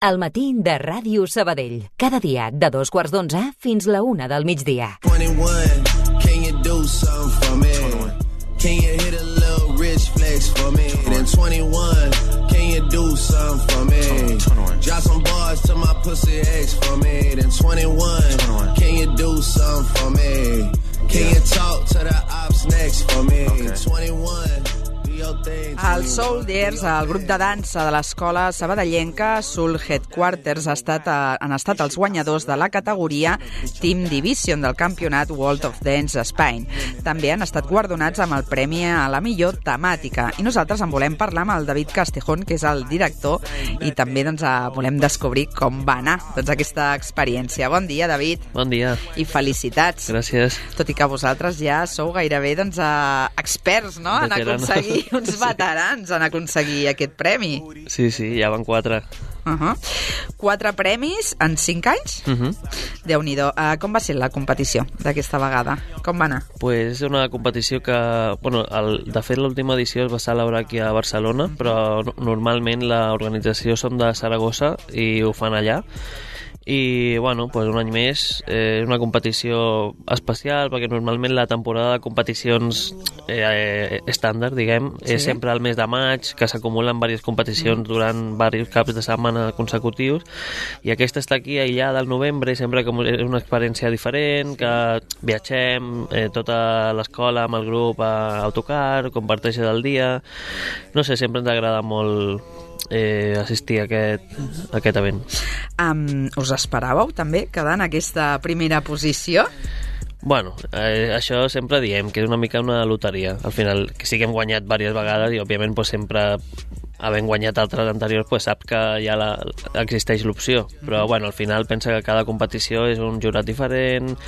El matí de Ràdio Sabadell. Cada dia de 2:15 fins la 1 del migdia. 21, can you do something for me? 21. Can you hit a little rich flex for me? 21. Then 21, can you do something for me? 21. Drop some bars to my pussy ex for me. Then 21, can you do something for me? Can you talk to the ops next for me? 21. Els Soldiers, el grup de dansa de l'escola sabadellenca Soul Headquarters, han estat els guanyadors de la categoria Team Division del campionat World of Dance Spain. També han estat guardonats amb el premi a la millor temàtica. I nosaltres en volem parlar amb el David Castejón, que és el director, i també volem descobrir com va anar aquesta experiència. Bon dia, David. Bon dia. I felicitats. Gràcies. Tot i que vosaltres ja sou gairebé experts, no?, en aconseguir, uns veterans en aconseguir aquest premi. Sí, ja van 4. 4 premis en 5 anys? Déu-n'hi-do. Com va ser la competició d'aquesta vegada? Com va anar? Pues és una competició que, de fet l'última edició es va celebrar aquí a Barcelona, però normalment l'organització som de Saragossa i ho fan allà. I, pues un any més, és una competició especial, perquè normalment la temporada de competicions estàndard, diguem, és sempre al mes de maig, que s'acumulen diverses competicions durant diversos caps de setmana consecutius, i aquesta està aquí aïllada al novembre, sempre que és una experiència diferent, que viatgem, tota l'escola amb el grup a autocar, comparteixes el dia, no sé, sempre ens agrada molt assistir a aquest event. Us esperàveu també quedar en aquesta primera posició? Això sempre diem que és una mica una loteria. Al final, que sí que hem guanyat diverses vegades i òbviament sempre havent guanyat altres anteriors, sap que ja existeix l'opció, però al final pensa que cada competició és un jurat diferent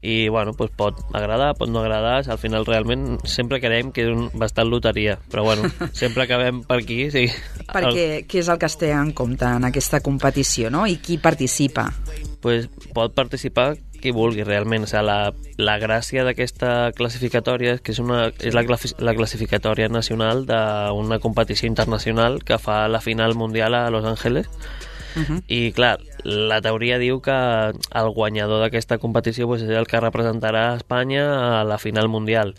i pot agradar, pot no agradar, al final realment sempre creiem que és bastant loteria, però sempre acabem per aquí. Sí. Perquè què és el que es té en compte en aquesta competició, no? I qui participa? Pot participar qui vulgui realment. La gràcia d'aquesta classificatòria és que és la classificatòria nacional d'una competició internacional que fa la final mundial a Los Angeles. I clar, la teoria diu que el guanyador d'aquesta competició és el que representarà Espanya a la final mundial,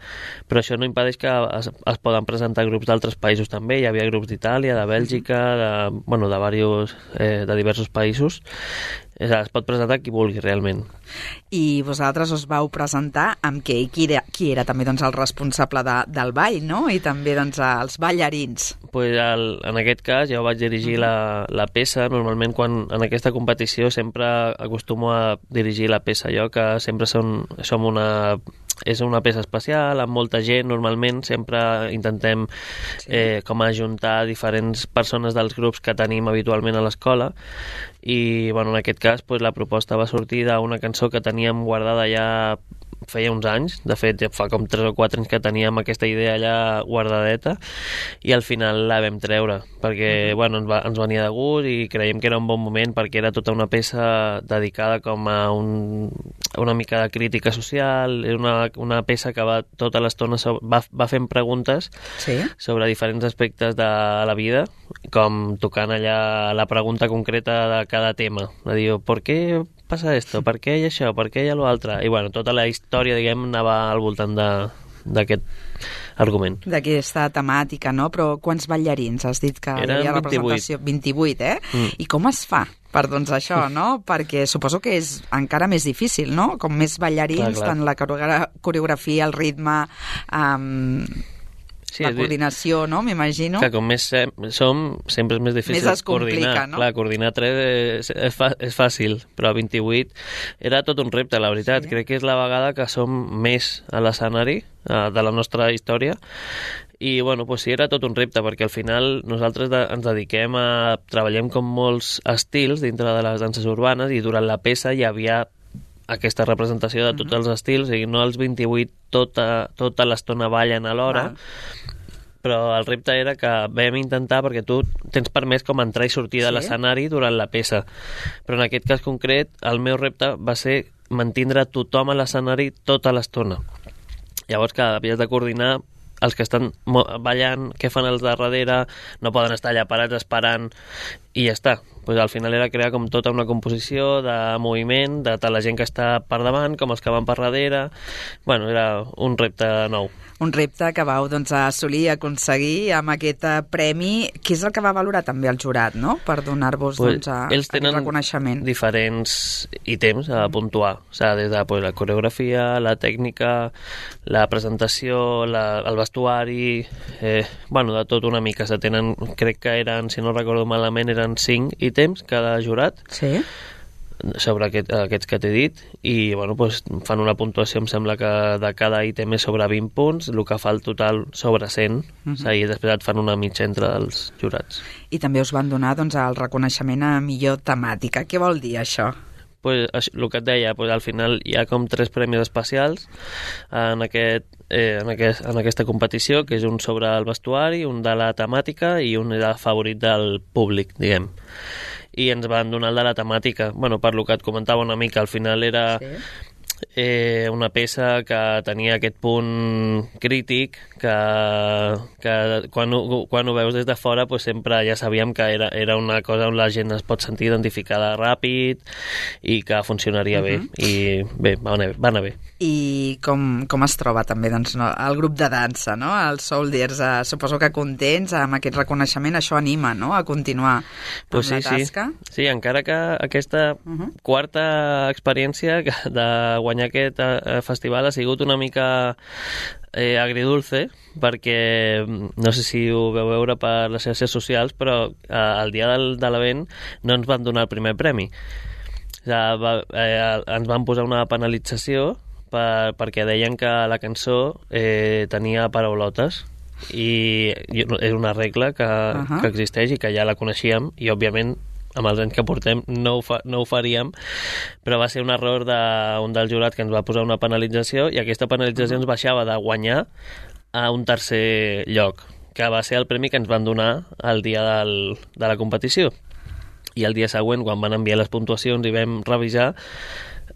però això no impedeix que es poden presentar grups d'altres països també. Hi havia grups d'Itàlia, de Bèlgica, de diversos països. Es pot presentar qui vulgui realment. I vosaltres us vau presentar amb què? I qui era també el responsable del ball, no? I també els ballarins. En aquest cas jo vaig dirigir la peça. Normalment en aquesta competició sempre acostumo a dirigir la peça jo, que sempre és una peça especial, amb molta gent. Normalment sempre intentem com ajuntar diferents persones dels grups que tenim habitualment a l'escola, i en aquest cas la proposta va sortir d'una cançó que teníem guardada ja feia uns anys. De fet ja fa com 3 o 4 anys que teníem aquesta idea allà guardadeta, i al final la vam treure perquè ens venia de gust i creiem que era un bon moment, perquè era tota una peça dedicada com a una mica de crítica social. És una peça que va tota l'estona va fent preguntes sobre diferents aspectes de la vida, com tocant allà la pregunta concreta de cada tema, de dir, ¿por qué passa esto? Per què hi ha això? Per què hi ha l'altre? I tota la història, diguem, anava al voltant d'aquest argument. D'aquesta temàtica, no? Però quants ballarins has dit que hi havia representació? 28, I com es fa per això, no? Perquè suposo que és encara més difícil, no? Com més ballarins, tant la coreografia, el ritme, la coordinació, no? M'imagino. Que com més som, sempre és més difícil coordinar. No? Clar, coordinar 3 és fàcil, però 28 era tot un repte, la veritat. Crec que és la vegada que som més a l'escenari de la nostra història, i sí, era tot un repte, perquè al final nosaltres ens dediquem treballem com molts estils dintre de les danses urbanes, i durant la peça hi havia aquesta representació de tots els estils, i no els 28 tota l'estona ballen alhora. Però el repte era que vam intentar, perquè tu tens permès com entrar i sortir de l'escenari durant la peça, però en aquest cas concret el meu repte va ser mantindre tothom a l'escenari tota l'estona. Llavors, que havies de coordinar els que estan ballant, què fan els de darrere, no poden estar allà parats esperant i ja està. Pues al final era crear com tota una composició de moviment, de tant la gent que està per davant com els que van per darrere. Bueno, era un repte nou. Un repte que vau assolir i aconseguir amb aquest premi. Què és el que va valorar també el jurat, no?, per donar-vos ells aquest reconeixement? Diferents ítems a puntuar, o sigui, des de la coreografia, la tècnica, la presentació, el vestuari, bueno, de tot una mica. Se tenen, crec que eren, si no recordo malament, eren 5 ítems cada jurat. Sí. Sobre aquests que t'he dit, i bueno, doncs fan una puntuació, em sembla que de cada ítem és sobre 20 punts, el que fa el total sobre 100, i després et fan una mitja entre els jurats. I també us van donar el reconeixement a millor temàtica. Què vol dir això? Pues, el que et deia, al final hi ha com 3 premis especials en aquesta competició, que és un sobre el vestuari, un de la temàtica i un de favorit del públic, diguem. I ens van donar el de la temàtica. Bueno, per lo que et comentava una mica, al final era una peça que tenia aquest punt crític que quan ho veus des de fora pues sempre ja sabíem que era una cosa on la gent es pot sentir identificada ràpid i que funcionaria bé. I bé, va anar bé. I com es troba també el grup de dansa, no? Els Soldiers, suposo que contents amb aquest reconeixement, això anima, no?, a continuar amb la tasca. Sí, encara que aquesta quarta experiència de guanyar aquest festival ha sigut una mica agridulce, perquè no sé si ho veu veure per les xarxes socials, però el dia de l'event no ens van donar el primer premi. Ens van posar una penalització perquè deien que la cançó tenia paraulotes, i és una regla que existeix i que ja la coneixíem, i òbviament amb els anys que portem no ho faríem, però va ser un error d'un dels jurats que ens va posar una penalització, i aquesta penalització ens baixava de guanyar a un tercer lloc, que va ser el premi que ens van donar el dia de la competició. I el dia següent, quan van enviar les puntuacions i vam revisar,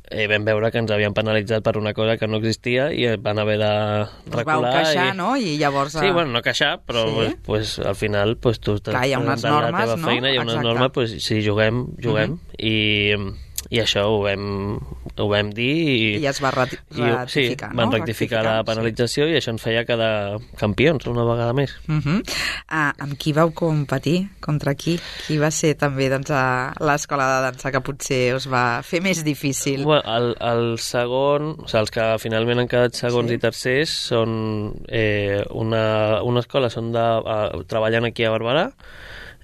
vam veure que ens havien penalitzat per una cosa que no existia i van haver de recular. Us vau queixar, no? I llavors... Sí, bueno, no queixar, però pues, al final pues, tu clar, hi ha unes normes, la teva feina, hi ha unes normes, pues, si juguem, i això ho vam dir i es va ratificar, sí, van rectificar la penalització, i això ens feia quedar campions una vegada més. Amb qui vau competir? Contra qui? Qui va ser també l'escola de dansa que potser us va fer més difícil? Bueno, el segon, o sigui, els que finalment han quedat segons i tercers són una escola, treballen aquí a Barberà,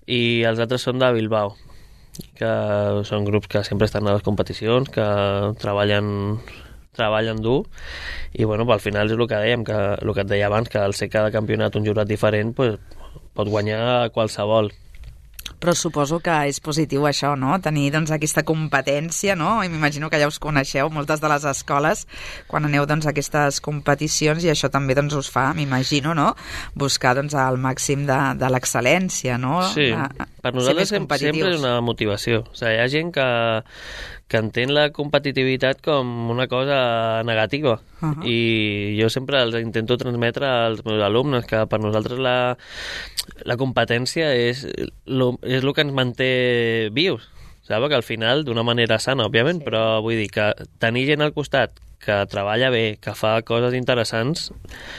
i els altres són de Bilbao, que són grups que sempre estan a les competicions, que treballen dur, i bueno, al final és el que dèiem, que el que et deia abans, que al ser cada campionat un jurat diferent, pues, pot guanyar qualsevol. Però suposo que és positiu això, no?, tenir aquesta competència, no? I m'imagino que ja us coneixeu moltes de les escoles quan aneu a aquestes competicions, i això també us fa, m'imagino, no?, buscar el màxim de l'excel·lència, no? Sí, per nosaltres sempre és una motivació. O sigui, hi ha gent que entén la competitivitat com una cosa negativa, i jo sempre els intento transmetre als meus alumnes que per nosaltres la competència és el que ens manté vius, saps? Que al final, d'una manera sana, òbviament, però vull dir que tenir gent al costat que treballa bé, que fa coses interessants,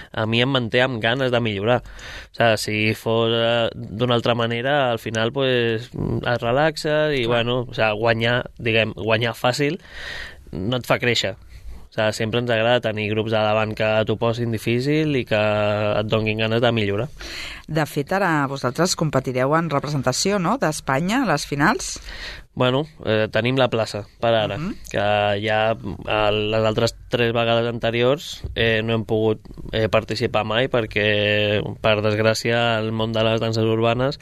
a mi em manté amb ganes de millorar. O sigui, si fos d'una altra manera, al final pues, es relaxa i, bueno, o sigui, guanyar fàcil no et fa créixer. O sigui, sempre ens agrada tenir grups a davant que t'ho posin difícil i que et donin ganes de millorar. De fet, ara vosaltres competireu en representació, no?, d'Espanya a les finals? Bueno, tenim la plaça per ara, que ja les altres 3 vegades anteriors no hem pogut participar mai perquè, per desgràcia, el món de les danses urbanes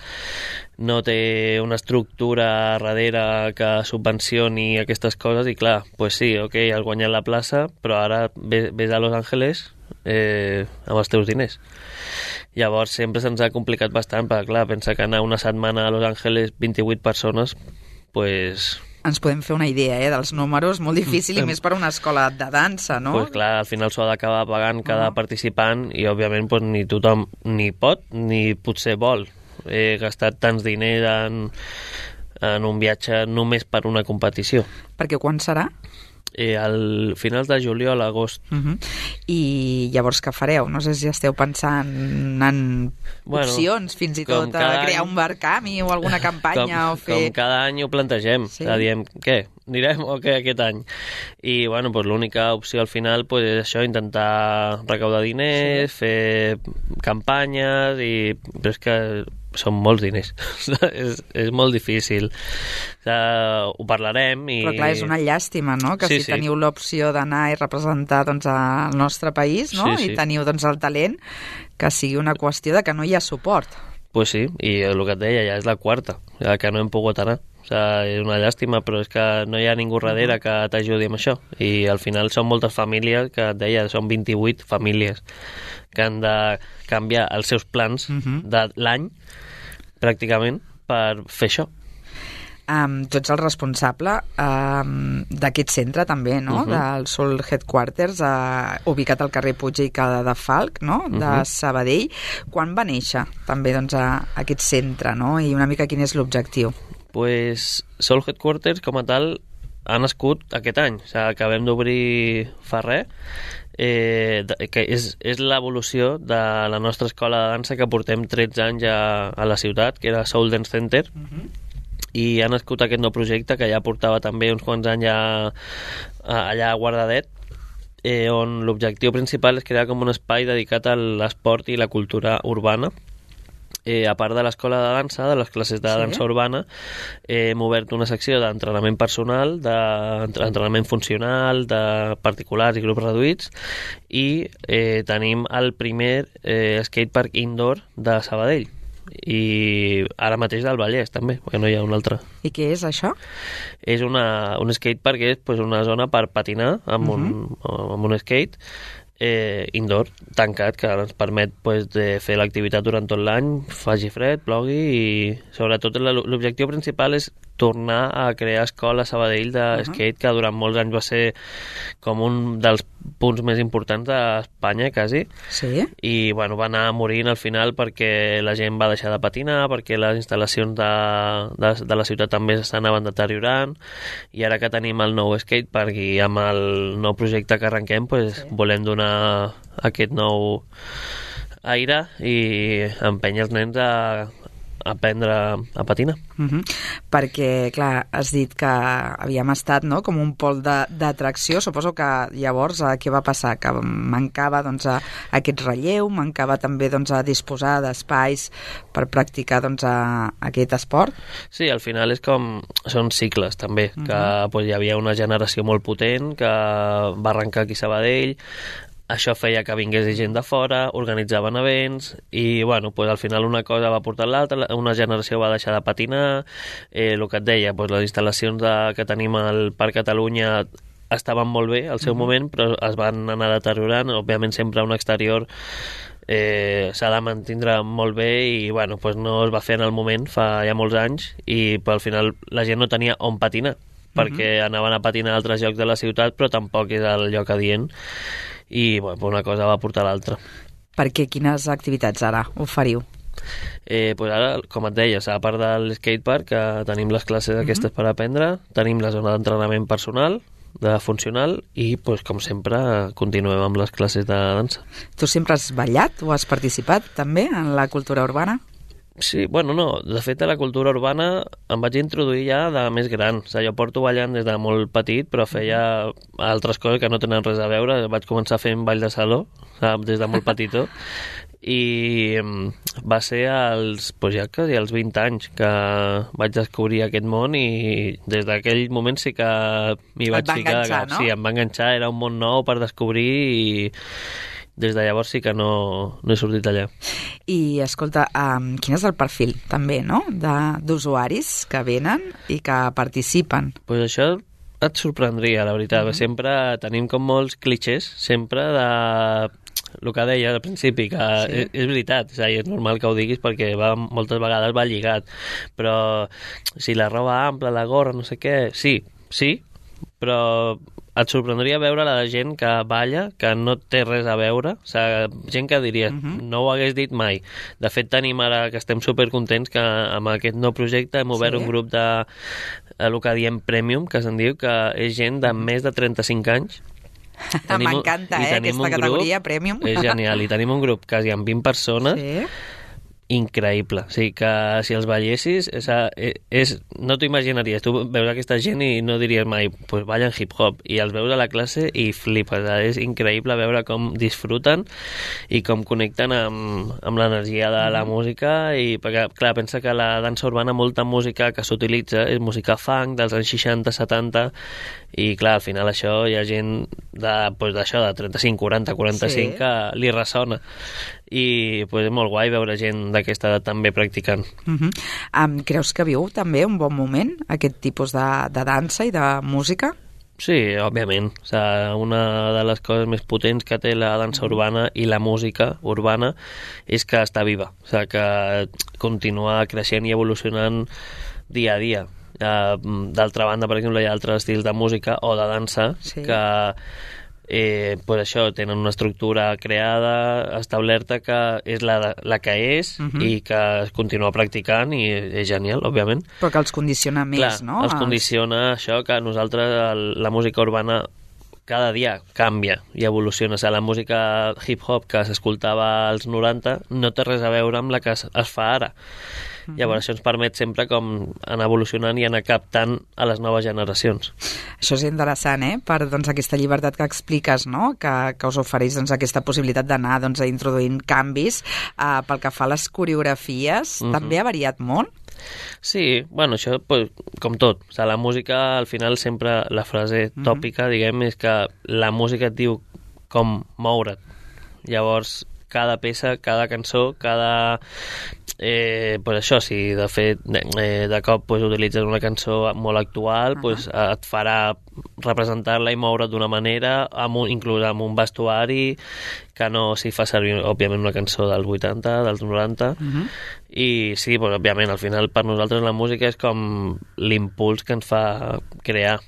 no té una estructura darrere que subvencioni aquestes coses, i clar, pues sí, ok, has guanyat la plaça, però ara ves a Los Angeles amb els teus diners. Llavors sempre se'ns ha complicat bastant, perquè clar, pensa que anar una setmana a Los Angeles 28 persones, pues... Ens podem fer una idea, dels números, molt difícil, i més per una escola de dansa, no? Pues clar, al final s'ho ha d'acabar pagant cada participant, i òbviament pues, ni tothom ni pot ni potser vol he gastat tants diners en un viatge només per una competició. Perquè quan serà? Al finals de juliol a agost. I llavors què fareu? No sé si esteu pensant en opcions, fins i tot a crear un barcami o alguna campanya o fer... Com cada any ho plantegem, diem, què? Anirem o què aquest any? I bueno, pues, l'única opció al final pues, és això, intentar recaudar diners, fer campanyes, però és que són molts diners. és molt difícil. Ho parlarem i... Però clar, és una llàstima, no? Que si teniu l'opció d'anar i representar doncs, el nostre país, no? I teniu doncs, el talent, que sigui una qüestió de que no hi ha suport. Pues sí, i el que et deia ja és la quarta, que no hem pogut anar. O sigui, és una llàstima, però és que no hi ha ningú darrere que t'ajudi amb això. I al final són moltes famílies, que et deia, són 28 famílies que han de canviar els seus plans de l'any, pràcticament, per fer això. Tu ets el responsable d'aquest centre també, no? Del Soul Headquarters, ubicat al carrer Puig i Cadafalch, no? De Sabadell. Quan va néixer també doncs, aquest centre, no? I una mica quin és l'objectiu? Pues Soul Headquarters, com a tal, ha nascut aquest any. O sigui, acabem d'obrir fa res, que és l'evolució de la nostra escola de dansa que portem 13 anys a la ciutat, que era Soul Dance Center, i ha nascut aquest nou projecte que ja portava també uns quants anys allà guardadet, on l'objectiu principal és crear com un espai dedicat a l'esport i la cultura urbana. A part de l'escola de dansa, de les classes de dansa urbana, hem obert una secció d'entrenament personal, d'entrenament funcional, de particulars i grups reduïts, i tenim el primer skatepark indoor de Sabadell, i ara mateix del Vallès també, perquè no hi ha un altre. I què és això? És un skatepark, que és una zona per patinar amb un skate indoor, tancat, que ens permet de fer l'activitat durant tot l'any, faci fred, plogui, i sobretot l'objectiu principal és tornar a crear escola a Sabadell de skate, que durant molts anys va ser com un dels punts més importants d'Espanya, quasi. Sí? I bueno, va anar morint al final perquè la gent va deixar de patinar, perquè les instal·lacions de la ciutat també s'anaven deteriorant, i ara que tenim el nou skatepark i amb el nou projecte que arrenquem, volem donar aquest nou aire i empènyer els nens a aprendre a patinar. Perquè, clar, has dit que havíem estat, no?, com un pol d'atracció. Suposo que llavors què va passar? Que mancava doncs, aquest relleu, mancava també doncs, disposar d'espais per practicar doncs, aquest esport? Sí, al final són cicles també, que hi havia una generació molt potent que va arrencar aquí a Sabadell. Això feia que vingués gent de fora, organitzaven events, i bueno, al final una cosa va portar l'altra, una generació va deixar de patinar, el que et deia, les instal·lacions que tenim al Parc Catalunya estaven molt bé al seu moment, però es van anar deteriorant. Òbviament sempre un exterior s'ha de mantindre molt bé, i bueno, no es va fer en el moment, fa ja molts anys, i al final la gent no tenia on patinar, perquè anaven a patinar a altres llocs de la ciutat, però tampoc és el lloc adient, i una cosa va portar l'altra. Per què? Quines activitats ara oferiu? Ara, com et deia, a part del skatepark, que tenim les classes aquestes per aprendre, tenim la zona d'entrenament personal, de funcional, i com sempre continuem amb les classes de dansa. Tu sempre has ballat o has participat també en la cultura urbana? Sí, no. De fet, a la cultura urbana em vaig introduir ja de més gran. O sigui, jo porto ballant des de molt petit, però feia altres coses que no tenen res a veure. Vaig començar fent ball de saló, des de molt petitó, i va ser als 20 anys que vaig descobrir aquest món, i des d'aquell moment sí que m'hi vaig ficar. Enganxar, no? Sí, em va enganxar, era un món nou per descobrir, i des de llavors sí que no he sortit allà. I, escolta, quin és el perfil, també, no?, d'usuaris que venen i que participen? Això et sorprendria, la veritat. Sempre tenim com molts clichés, sempre de el que deia al principi, que és veritat, és normal que ho diguis perquè moltes vegades va lligat, però si la roba ampla, la gorra, no sé què, sí, però et sorprendria veure la gent que balla, que no té res a veure, o sigui, gent que diria, no ho hagués dit mai. De fet, tenim ara que estem supercontents que amb aquest nou projecte hem obert un grup de el que diem Premium, que se'n diu, que és gent de més de 35 anys. M'encanta, aquesta categoria, Premium. És genial, i tenim un grup quasi amb 20 persones, increïble. O sigui que si els ballessis, no t'ho imaginaries. Tu veus aquesta gent i no diries mai, pues ballen hip-hop, i els veus a la classe i flipes. És increïble veure com disfruten i com connecten amb l'energia de la música, i perquè, clar, pensa que la dansa urbana, molta música que s'utilitza és música funk dels anys 60-70, i clar, al final això hi ha gent d'això, de 35, 40, 45 que li ressona, i és molt guai veure gent d'aquesta edat també practicant. Creus que viu també un bon moment aquest tipus de dansa i de música? Sí, òbviament. O sigui, una de les coses més potents que té la dansa urbana i la música urbana és que està viva, o sigui, que continua creixent i evolucionant dia a dia. D'altra banda, per exemple, hi ha altres estils de música o de dansa que això, tenen una estructura creada, establerta, que és la que és, i que es continua practicant, i és genial, òbviament. Però que els condiciona més, clar, no? Els condiciona això, que nosaltres, la música urbana, cada dia canvia i evoluciona. O sigui, la música hip-hop que s'escoltava als 90 no té res a veure amb la que es fa ara. Llavors això ens permet sempre com anar evolucionant i anar captant a les noves generacions. Això és interessant, per aquesta llibertat que expliques, no? que us ofereix aquesta possibilitat d'anar introduint canvis. Pel que fa a les coreografies, també ha variat molt? Sí, bueno, això com tot. O sigui, la música, al final, sempre la frase tòpica, diguem, és que la música et diu com moure't. Llavors, cada peça, cada cançó, cada... això, si de fet de cop utilitzes una cançó molt actual, et farà representar-la i moure't d'una manera, inclús amb un vestuari que no s'hi fa servir, òbviament, una cançó dels 80, dels 90, i sí, òbviament, al final per nosaltres la música és com l'impuls que ens fa crear.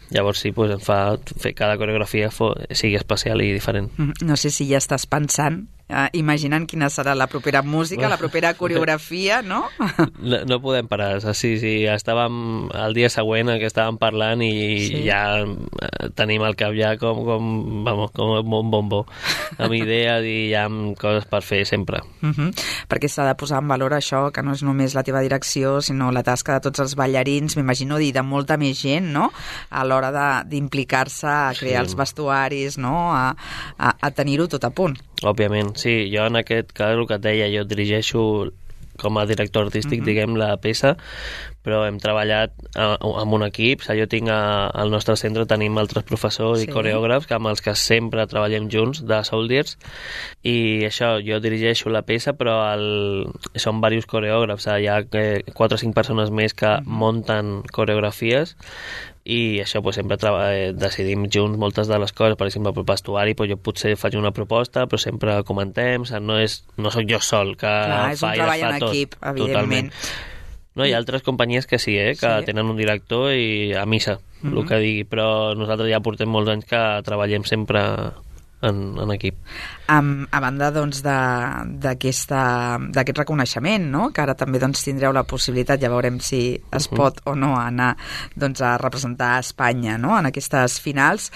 Llavors sí, ens fa fer cada coreografia sigui especial i diferent. No sé si ja estàs pensant, imaginant quina serà la propera música, la propera coreografia, no? No podem parar. Sí, estàvem el dia següent que estàvem parlant i ja tenim al cap ja com un bombó, amb idees i ja amb coses per fer sempre. Perquè s'ha de posar en valor això, que no és només la teva direcció, sinó la tasca de tots els ballarins, m'imagino, i de molta més gent, no?, a l'hora d'implicar-se a crear els vestuaris, no?, a tenir-ho tot a punt. Òbviament, sí. Jo en aquest cas, el que et deia, jo dirigeixo com a director artístic, diguem, la peça, però hem treballat amb un equip. Jo tinc al nostre centre, tenim altres professors i coreògrafs amb els que sempre treballem junts, de Soldiers, i això, jo dirigeixo la peça, però són diversos coreògrafs. Hi ha 4 o 5 persones més que munten coreografies, i això sempre decidim junts moltes de les coses. Per exemple, pel vestuari jo potser faig una proposta, però sempre comentem, no soc jo sol que fa i desfà tot. És un treball en equip, evidentment. No, hi ha altres companyies que sí, que tenen un director i a missa, el que digui, però nosaltres ja portem molts anys que treballem sempre en equip. A banda d'aquest reconeixement, no?, que ara també tindreu la possibilitat, ja veurem si es pot o no anar a representar a Espanya, no?, en aquestes finals.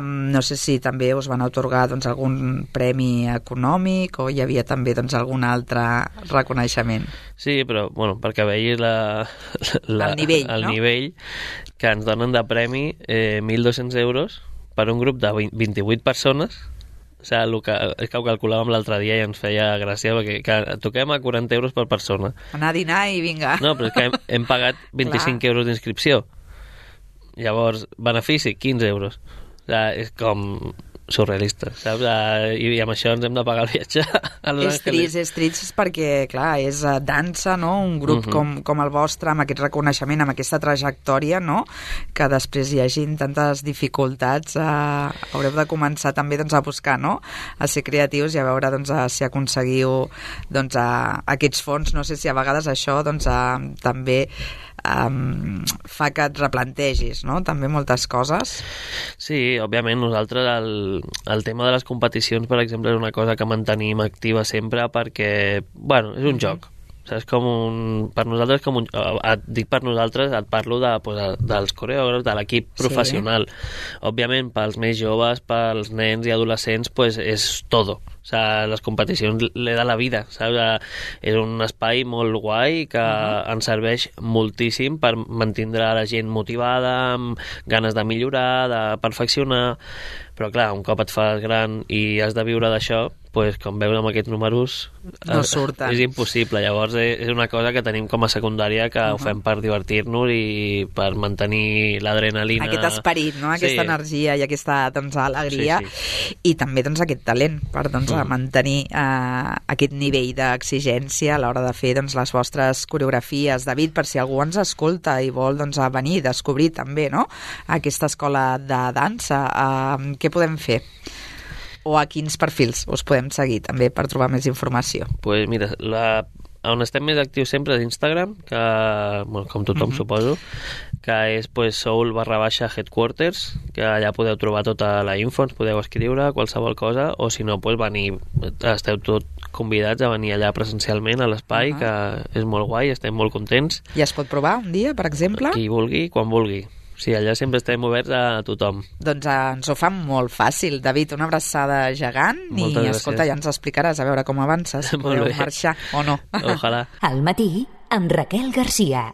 No sé si també us van atorgar algun premi econòmic o hi havia també algun altre reconeixement. Sí, però perquè veïs el nivell que ens donen de premi, 1.200 euros per un grup de 28 persones. O sigui, és que ho calculàvem l'altre dia i ens feia gràcia, perquè toquem a 40 euros per persona. Anar a dinar i vinga. No, però és que hem pagat 25 euros d'inscripció. Llavors, benefici, 15 euros. O sigui, és com... surrealistes, saps? I amb això ens hem de pagar el viatge a Los Angeles. És trist perquè, clar, és dansa, no? Un grup com el vostre, amb aquest reconeixement, amb aquesta trajectòria, no? Que després hi hagin tantes dificultats, haureu de començar també doncs, a buscar, no? A ser creatius i a veure doncs, si aconseguiu doncs, aquests fons. No sé si a vegades això doncs, també fa que et replantegis, no? També moltes coses. Sí, òbviament nosaltres el tema de les competicions, per exemple, és una cosa que mantenim activa sempre perquè, bueno, és un joc. Saps? Per nosaltres, dic per nosaltres, et parlo dels coreògrafs, de l'equip professional. Òbviament, pels més joves, pels nens i adolescents, pues és todo. O sigui, les competicions le da la vida, saps? És un espai molt guai que ens serveix moltíssim per mantindre la gent motivada, amb ganes de millorar, de perfeccionar, però clar, un cop et fas gran i has de viure d'això, pues, com veus amb aquests números no surten. És impossible. Llavors és una cosa que tenim com a secundària, que ho fem per divertir-nos i per mantenir l'adrenalina, aquest esperit, no? Aquesta energia i aquesta doncs, alegria, i també doncs, aquest talent per doncs, mantenir aquest nivell d'exigència a l'hora de fer doncs, les vostres coreografies. David, per si algú ens escolta i vol doncs, venir a descobrir també, no? Aquesta escola de dansa, què podem fer? O a quins perfils us podem seguir també per trobar més informació? Pues mira, on estem més actius sempre és Instagram, que, bueno, com tothom suposo, que és pues, soul_headquarters, que allà podeu trobar tota la info, ens podeu escriure qualsevol cosa, o si no, pues, esteu tot convidats a venir allà presencialment a l'espai, que és molt guai, estem molt contents. I es pot provar un dia, per exemple? Qui vulgui, quan vulgui. Sí, allà sempre estem oberts a tothom. Doncs ens ho fa molt fàcil. David, una abraçada gegant. Moltes gràcies. Escolta, ja ens explicaràs a veure com avances, si podeu marxar o no. Ojalà. Al matí, amb Raquel Garcia.